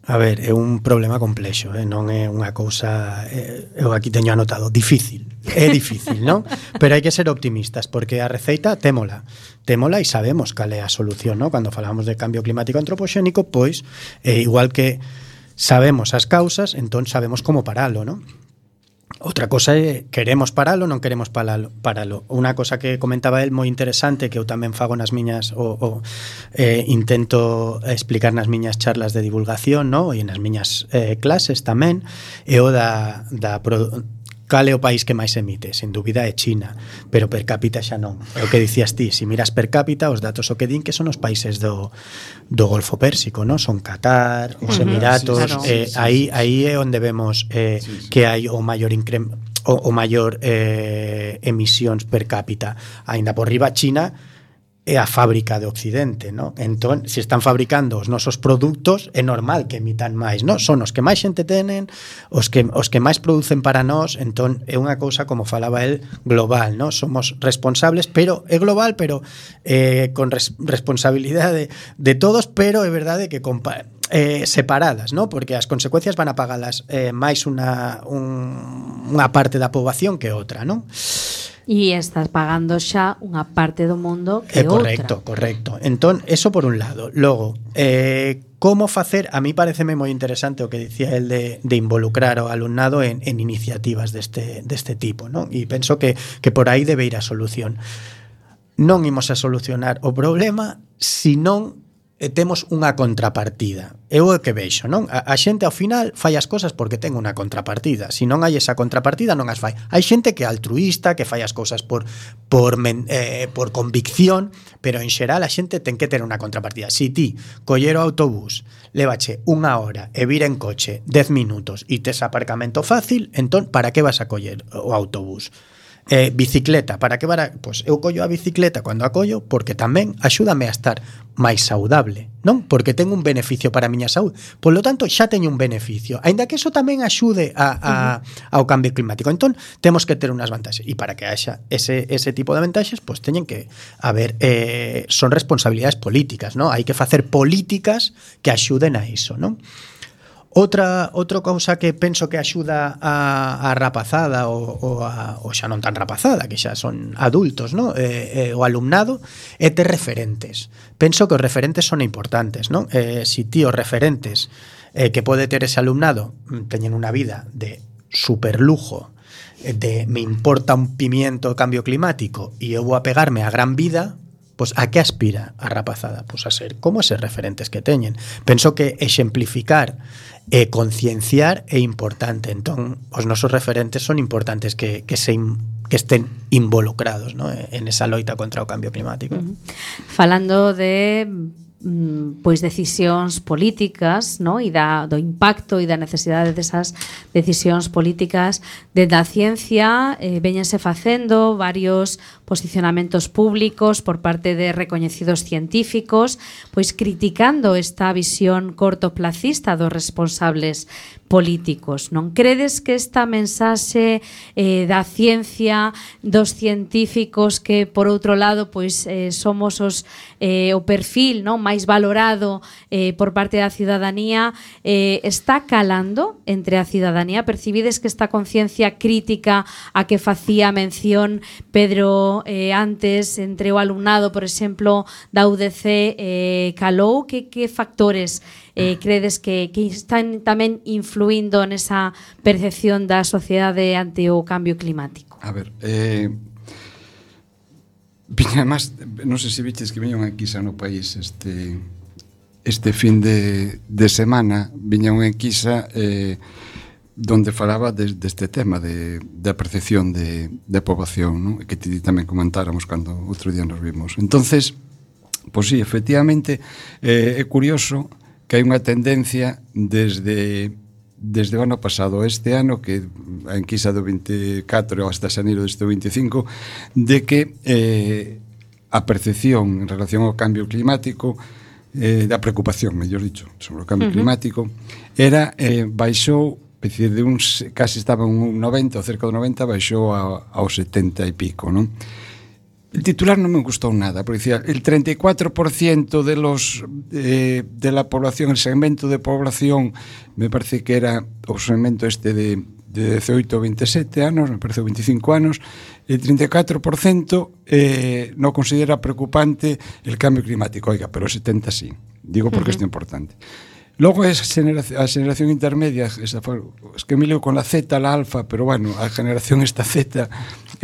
a ver, é un problema complexo, non é unha cousa, eu aquí teño anotado, difícil. É difícil, non? Pero hai que ser optimistas, porque a receita témola e sabemos cal é a solución, non? Cando falamos de cambio climático antropoxénico, pois, igual que sabemos as causas, entón sabemos como paralo, non? Outra cosa é, queremos paralo, non queremos paralo. Unha cosa que comentaba el moi interesante, que eu tamén fago nas miñas intento explicar nas miñas charlas de divulgación, non? E nas miñas clases tamén, é o cal é o país que máis emite? Sen dúbida é China, pero per cápita xa non. É o que dicías ti, se miras per cápita, os datos o que din que son os países do Golfo Pérsico, non? Son Qatar, os Emiratos, aí é onde vemos que hai o maior emisións per cápita. Aínda por riba China é a fábrica de Occidente, non? Entón, se están fabricando os nosos produtos, é normal que emitan máis, non? Son os que máis xente tenen, os que máis producen para nós, entón é unha cousa, como falaba el, global, non? Somos responsables, pero é global, pero con responsabilidade de todos, pero é verdade que separadas, ¿no? Porque as consecuencias van a pagalas máis unha parte da poboación que outra, non? E estás pagando xa unha parte do mundo que outra. Correcto. Entón, eso por un lado. Logo, como facer, a mí pareceme moi interesante o que dicía el de involucrar ao alumnado en iniciativas deste tipo, non? E penso que por aí debe ir a solución. Non imos a solucionar o problema se non temos unha contrapartida. Eu é que vexo, non? A xente ao final fai as cosas porque ten unha contrapartida. Se non hai esa contrapartida, non as fai. Hai xente que é altruísta, que fai as cousas por convicción, pero en xeral a xente ten que ter unha contrapartida. Se ti coller o autobús, lévache unha hora e vir en coche 10 minutos e tes aparcamento fácil, entón, para que vas a coller o autobús? Bicicleta, para que pois eu collo a bicicleta cando a collo porque tamén axúdame a estar máis saudable, non? Porque ten un beneficio para a miña saúde. Por lo tanto, xa teño un beneficio, aínda que eso tamén axude ao cambio climático. Entón, temos que ter unhas vantaxes, e para que haxa ese tipo de vantaxes, pois teñen que haber son responsabilidades políticas, non? Hai que facer políticas que axuden a iso, non? Outra cousa que penso que axuda a rapazada ou xa non tan rapazada, que xa son adultos, ¿no? O alumnado, é ter referentes. Penso que os referentes son importantes, ¿no? Si ti os referentes que pode ter ese alumnado teñen unha vida de superlujo, de me importa un pimiento o cambio climático e eu vou a pegarme a gran vida, pois a que aspira a rapazada? Pois a ser como eses referentes que teñen. Penso que exemplificar e concienciar é importante. Entón, os nosos referentes son importantes que estén involucrados, ¿no?, en esa loita contra o cambio climático. Falando de pois decisións políticas, no? E do impacto e da necesidade desas decisións políticas, desde a ciencia véñense facendo varios posicionamentos públicos por parte de recoñecidos científicos, pois criticando esta visión cortoplacista dos responsables políticos. Non credes que esta mensaxe da ciencia, dos científicos, que por outro lado pois somos o perfil, non, máis valorado por parte da ciudadanía, está calando entre a ciudadanía? Percibides que esta conciencia crítica a que facía mención Pedro antes entre o alumnado, por exemplo, da UDC, calou? Que factores credes que están tamén influindo nesa percepción da sociedade ante o cambio climático? A ver, viña máis, non sei se viches que viña unha enquisa no país este fin de semana, viña unha enquisa donde falaba deste tema da percepción de poboación, ¿no?, que tamén comentáramos cando outro día nos vimos. Entonces, pois sí, efectivamente, é curioso que hai unha tendencia desde o ano pasado a este ano, que a enquisa do 24 hasta xaneiro deste 25, de que a percepción en relación ao cambio climático, da preocupación, mellor dicho, sobre o cambio climático, era baixou, é dicir, de uns, casi estaba un 90 ou cerca do 90, baixou ao 70 e pico, non? El titular non me gustou nada, porque decía, el 34% de la población, el segmento de población, me parece que era o segmento de 18 ou 27 anos, me parece 25 anos, el 34% non considera preocupante el cambio climático. Oiga, pero o 70 sí. Digo porque isto é importante. Logo a generación intermedia, es que me leo con la Z, la alfa, pero bueno, a generación esta Z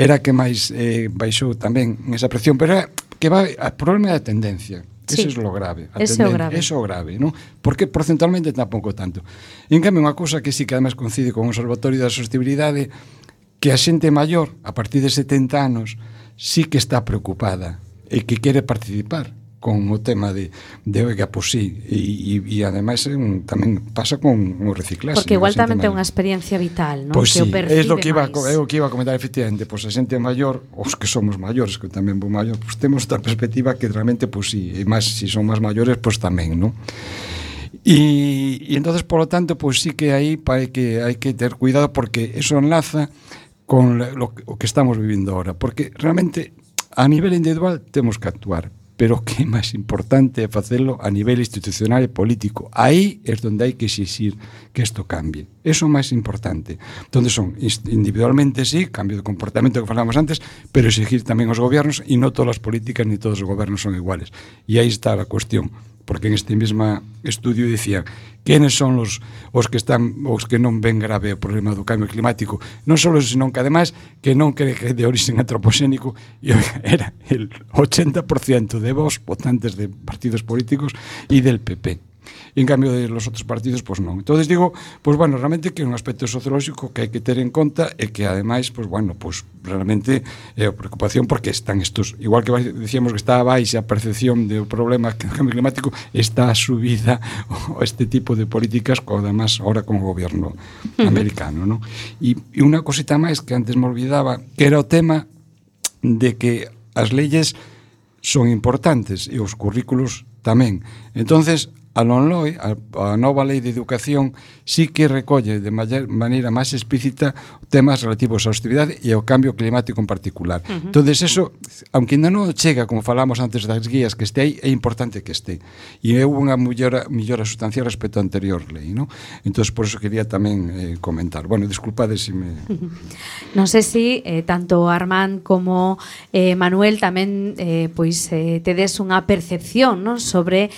era que máis baixou tamén esa presión, pero era que o problema é a tendencia. Sí. Eso é lo grave. Eso é o grave, non? Porque porcentualmente tampouco tanto. En cambio, unha cousa que sí que además coincide con o Observatorio da Sostenibilidade, que a xente maior, a partir de 70 anos, sí que está preocupada e que quere participar con o tema de oiga, pois sí, e ademais tamén pasa con o reciclaxe. Porque igual tamén ten unha experiencia vital, non? Pois que sí, é o que iba a comentar efectivamente, pois a xente maior, os que somos maiores, que tamén vou maior, pois temos outra perspectiva que realmente, pois sí, e máis, se son máis maiores, pois tamén, non? E entonces, por lo tanto, pois sí que aí hai que ter cuidado, porque eso enlaza con o que estamos vivindo ahora, porque realmente a nivel individual temos que actuar, pero o que é máis importante é facelo a nivel institucional e político. Aí é onde hai que exixir que isto cambie. Eso é o máis importante. Donde son individualmente, sí, cambio de comportamento que falamos antes, pero exigir tamén aos gobernos, e non todas as políticas ni todos os gobernos son iguales. E aí está a cuestión. Porque en este mesmo estudio dicían quenes son os que non ven grave o problema do cambio climático, non só eso, senón que ademais que non cree que é de origen antropoxénico, e era el 80% de votantes de partidos políticos e del PP. E en cambio de los outros partidos, pois non. Entonces digo, pois bueno, realmente que é un aspecto sociolóxico que hai que ter en conta, e que ademais, pois bueno, pois realmente é a preocupación, porque están estos, igual que decíamos que está baixa a percepción do problema do cambio climático, está a subida este tipo de políticas, además ahora con o goberno americano, non? E unha cosita máis que antes me olvidaba, que era o tema de que as leyes son importantes e os currículos tamén. Entonces, a LOMLOE, a nova lei de educación, sí que recolle de maneira máis explícita temas relativos á sostenibilidade e ao cambio climático en particular. Entonces, eso, aunque ainda non chega, como falamos antes das guías, que este aí, é importante que este. E é unha mellora sustancial respecto á anterior lei, non? Entonces, por eso quería tamén comentar. Bueno, disculpade se me... Non sei se tanto Armand como Manuel tamén tedes unha percepción, non, sobre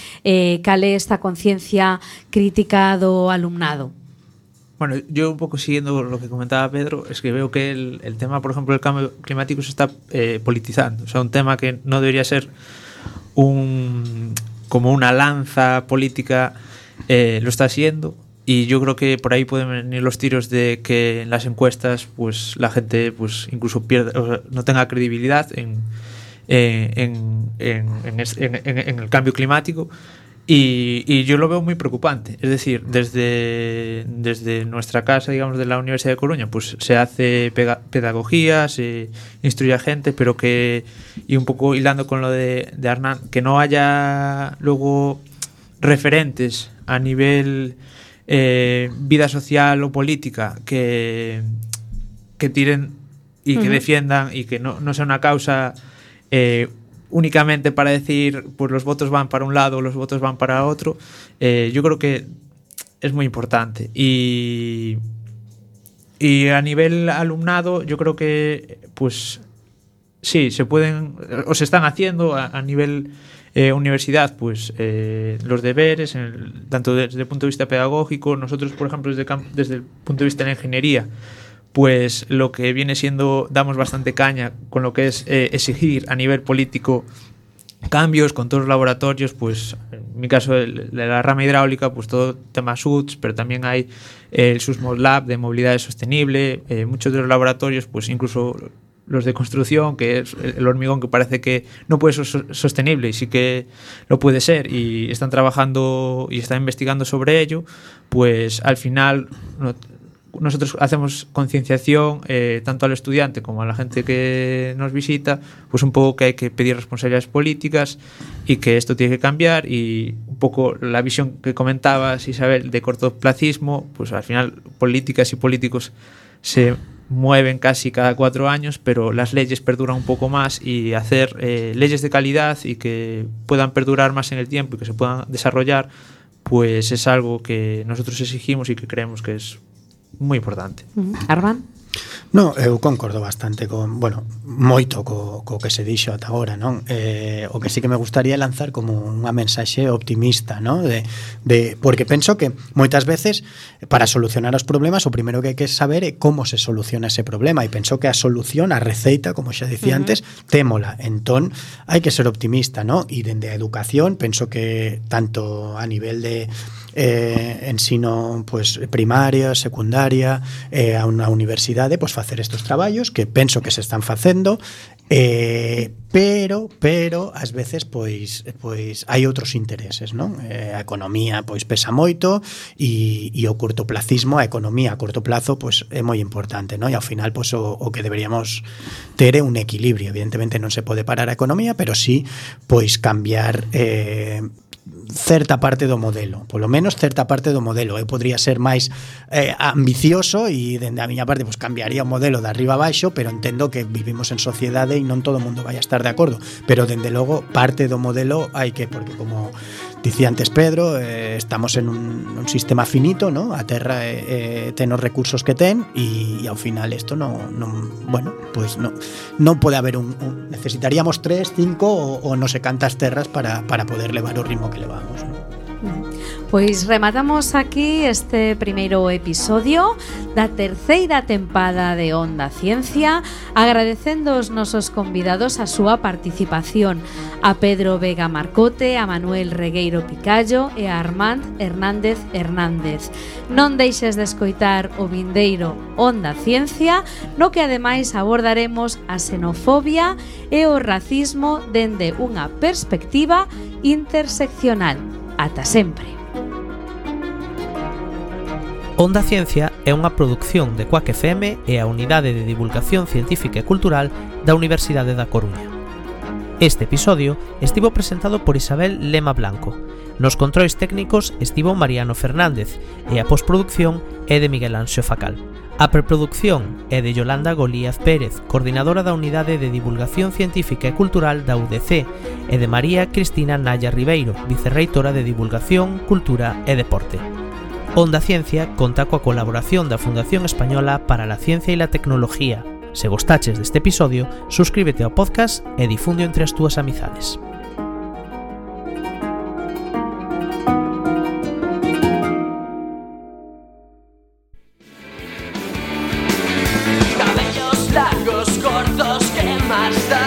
cal é esta conciencia crítica do alumnado. Bueno, yo un poco siguiendo lo que comentaba Pedro, es que veo que el tema, por ejemplo, del cambio climático se está politizando. O sea, un tema que no debería ser como una lanza política, lo está siendo. Y yo creo que por ahí pueden venir los tiros de que en las encuestas pues la gente pues incluso pierda, o sea, no tenga credibilidad en el cambio climático. Y yo lo veo muy preocupante. Es decir, desde nuestra casa, digamos, de la Universidad de Coruña, pues se hace pedagogía, se instruye a gente, pero que, y un poco hilando con lo de Hernán, que no haya luego referentes a nivel vida social o política que tiren y que defiendan, y que no sea una causa únicamente para decir pues los votos van para un lado o los votos van para otro. Yo creo que es muy importante. Y a nivel alumnado, yo creo que pues sí, se pueden o se están haciendo a nivel universidad, pues los deberes, tanto desde el punto de vista pedagógico. Nosotros, por ejemplo, desde el punto de vista de la ingeniería, pues lo que viene siendo, damos bastante caña con lo que es exigir a nivel político cambios con todos los laboratorios. Pues en mi caso, de la rama hidráulica, pues todo tema SUTS, pero también hay el SUSMOD Lab de movilidad sostenible. Muchos de los laboratorios, pues incluso los de construcción, que es el hormigón, que parece que no puede ser sostenible y sí que lo puede ser, y están trabajando y están investigando sobre ello. Pues al final nosotros hacemos concienciación tanto al estudiante como a la gente que nos visita, pues un poco que hay que pedir responsabilidades políticas y que esto tiene que cambiar. Y un poco la visión que comentabas, Isabel, de cortoplacismo, pues al final políticas y políticos se mueven casi cada 4 años, pero las leyes perduran un poco más, y hacer leyes de calidad y que puedan perdurar más en el tiempo y que se puedan desarrollar, pues es algo que nosotros exigimos y que creemos que es moi importante. Armand? No, eu concordo bastante moito co que se dixo ata agora, non? O que sí que me gustaría lanzar como unha mensaxe optimista, non? Porque penso que moitas veces para solucionar os problemas o primeiro que hai que saber é como se soluciona ese problema, e penso que a solución, a receita, como xa dicía antes, témola. Entón, hai que ser optimista, non? E dende a educación, penso que tanto a nivel de ensino pues primaria, secundaria, a unha universidade, pues facer estes traballos que penso que se están facendo, pero ás veces pois hai outros intereses, non? A economía pois pesa moito, e o cortoplacismo, a economía a corto plazo pois é moi importante, non? E ao final pois o que deberíamos ter é un equilibrio. Evidentemente non se pode parar a economía, pero sí pois cambiar certa parte do modelo, polo menos certa parte do modelo. Eu podría ser máis ambicioso e dende a miña parte pues cambiaría o modelo de arriba a baixo, pero entendo que vivimos en sociedade e non todo o mundo vai a estar de acordo, pero dende logo parte do modelo hai que, porque como dicía antes Pedro, estamos en un sistema finito, ¿no? A Terra ten os recursos que ten, e ao final isto non pode haber necesitaríamos 3, 5 ou non sei cantas terras para poder levar o ritmo que levamos, ¿no? Pois rematamos aquí este primeiro episodio da terceira tempada de Onda Ciencia, agradecendo aos nosos convidados a súa participación, a Pedro Vega Marcote, a Manuel Regueiro Picallo e a Armand Hernández Hernández. Non deixes de escoitar o vindeiro Onda Ciencia, no que ademais abordaremos a xenofobia e o racismo dende unha perspectiva interseccional. Ata sempre. Onda Ciencia é unha produción de Quack FM e a Unidade de Divulgación Científica e Cultural da Universidade da Coruña. Este episodio estivo presentado por Isabel Lema Blanco. Nos controis técnicos estivo Mariano Fernández e a postproducción é de Miguel Anxo Facal. A preproducción é de Yolanda Golíaz Pérez, coordinadora da Unidade de Divulgación Científica e Cultural da UDC, e de María Cristina Naya Ribeiro, vicerreitora de Divulgación, Cultura e Deporte. Onda Ciencia conta coa colaboración da Fundación Española para la Ciencia e la Tecnología. Se gostaches deste episodio, suscríbete ao podcast e difunde entre as túas amizades. Largos, cortos, ¿qué más da?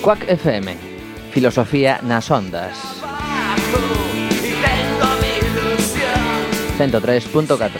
Quack FM, filosofía nas ondas. 103.4.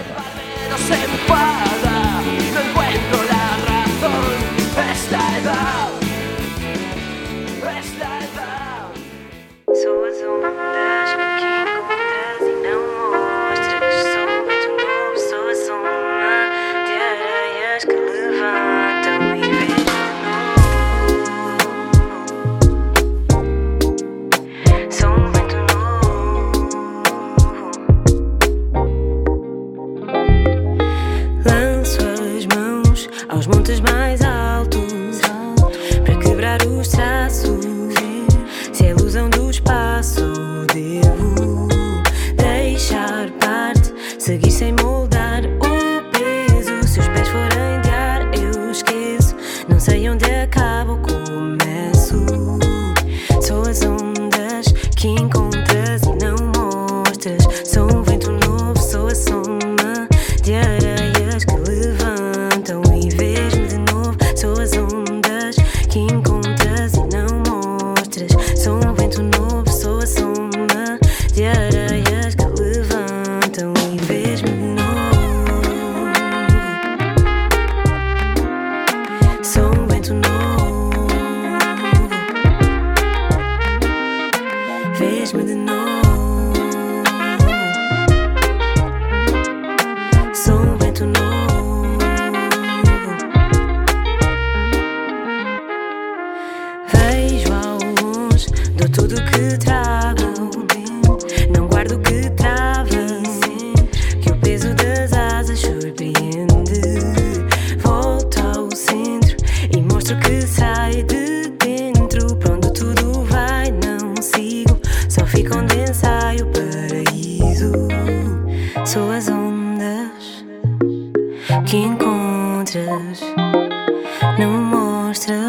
Aos montes mais altos, para quebrar os traços. Se é ilusão do espaço, devo deixar parte, seguir sem moldar o peso. Se os pés forem de ar, eu esqueço. Não sei onde acabo ou começo. Sou as ondas que encontras e não mostras. Sou um vento novo, sou a soma de areias que levantam e vês-me de novo. Sou as ondas que encontras e não mostras. Sou um vento novo, sou a soma de areias que levantam e vês-me de novo. Sou um vento novo, vês-me de novo. Sou um vento novo. Vejo ao longe, dou tudo o que trago. Não guardo o que trava, que o peso das asas surpreende. Volto ao centro e mostro que sai de dentro. Pra onde tudo vai, não sigo. Só fico onde ensaio o paraíso. Sou as ondas que encontras, não mostras.